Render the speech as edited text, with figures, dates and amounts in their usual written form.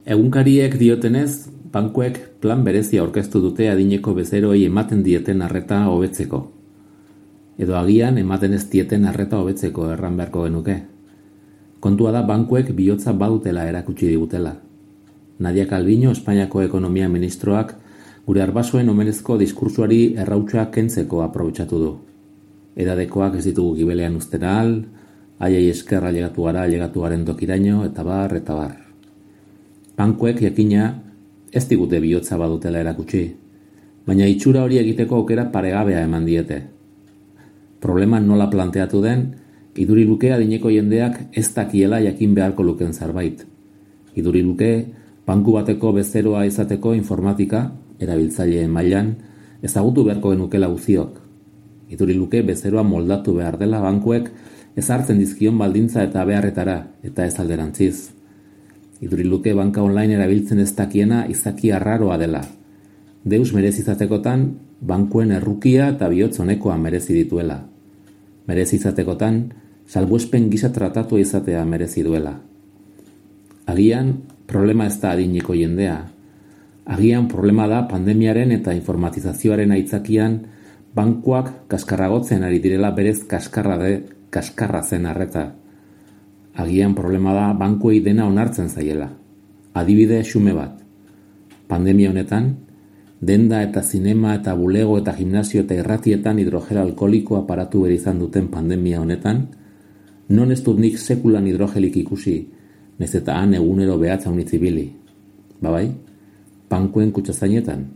Egunkariek diotenez, bankuek plan berezia aurkeztu dute adineko bezeroei ematen dieten arreta hobetzeko. Edo agian ematen ez dieten arreta hobetzeko erran beharko genuke. Kontua da bankuek bihotza badutela erakutsi digutela. Nadia Calviño, Espainiako ekonomia ministroak, gure arbasoen omenezko diskursuari errautsa kentzeko aprobetxatu du. Edadekoak ez ditugu gibelean uzten ahal, haiei esker ailegatu gara ailegatuaren tokiraino, eta bar. Bankuek jakina ez digute bihotza badutela erakutsi, baina itxura hori egiteko aukera paregabea eman diete. Problema nola planteatu den, iduri luke adineko jendeak ez dakiela jakin beharko luken zerbait. Iduri luke banku bateko bezeroa izateko informatika, erabiltzaileen mailan, ezagutu beharko genukela guztiok. Iduri luke bezeroa moldatu behar dela bankuek ezartzen dizkion baldintza eta beharretara, eta ez alderantziz. Iduri luke banka online erabiltzen ez dakiena izaki arraroa dela. Deus merezizatekotan, bankuen errukia eta bihotz honekoa merezi dituela. Merezizatekotan, salbuespen gisa tratatu izatea merezi duela. Agian, problema ez da adineko jendea. Agian, problema da pandemiaren eta informatizazioaren aitzakian bankuak kaskarragotzen ari direla berez kaskarra zen arreta. Agian problema da bankuei dena onartzen zaiela. Adibide xume bat. Pandemia honetan, denda eta zinema eta bulego eta gimnasio eta irratietan hidrogel alkoholikoa paratu izan duten pandemia honetan, non ez dut nik sekulan hidrogelik ikusi, nez eta han egunero behatza unitzibili. Babai, bankuen kutsazainetan.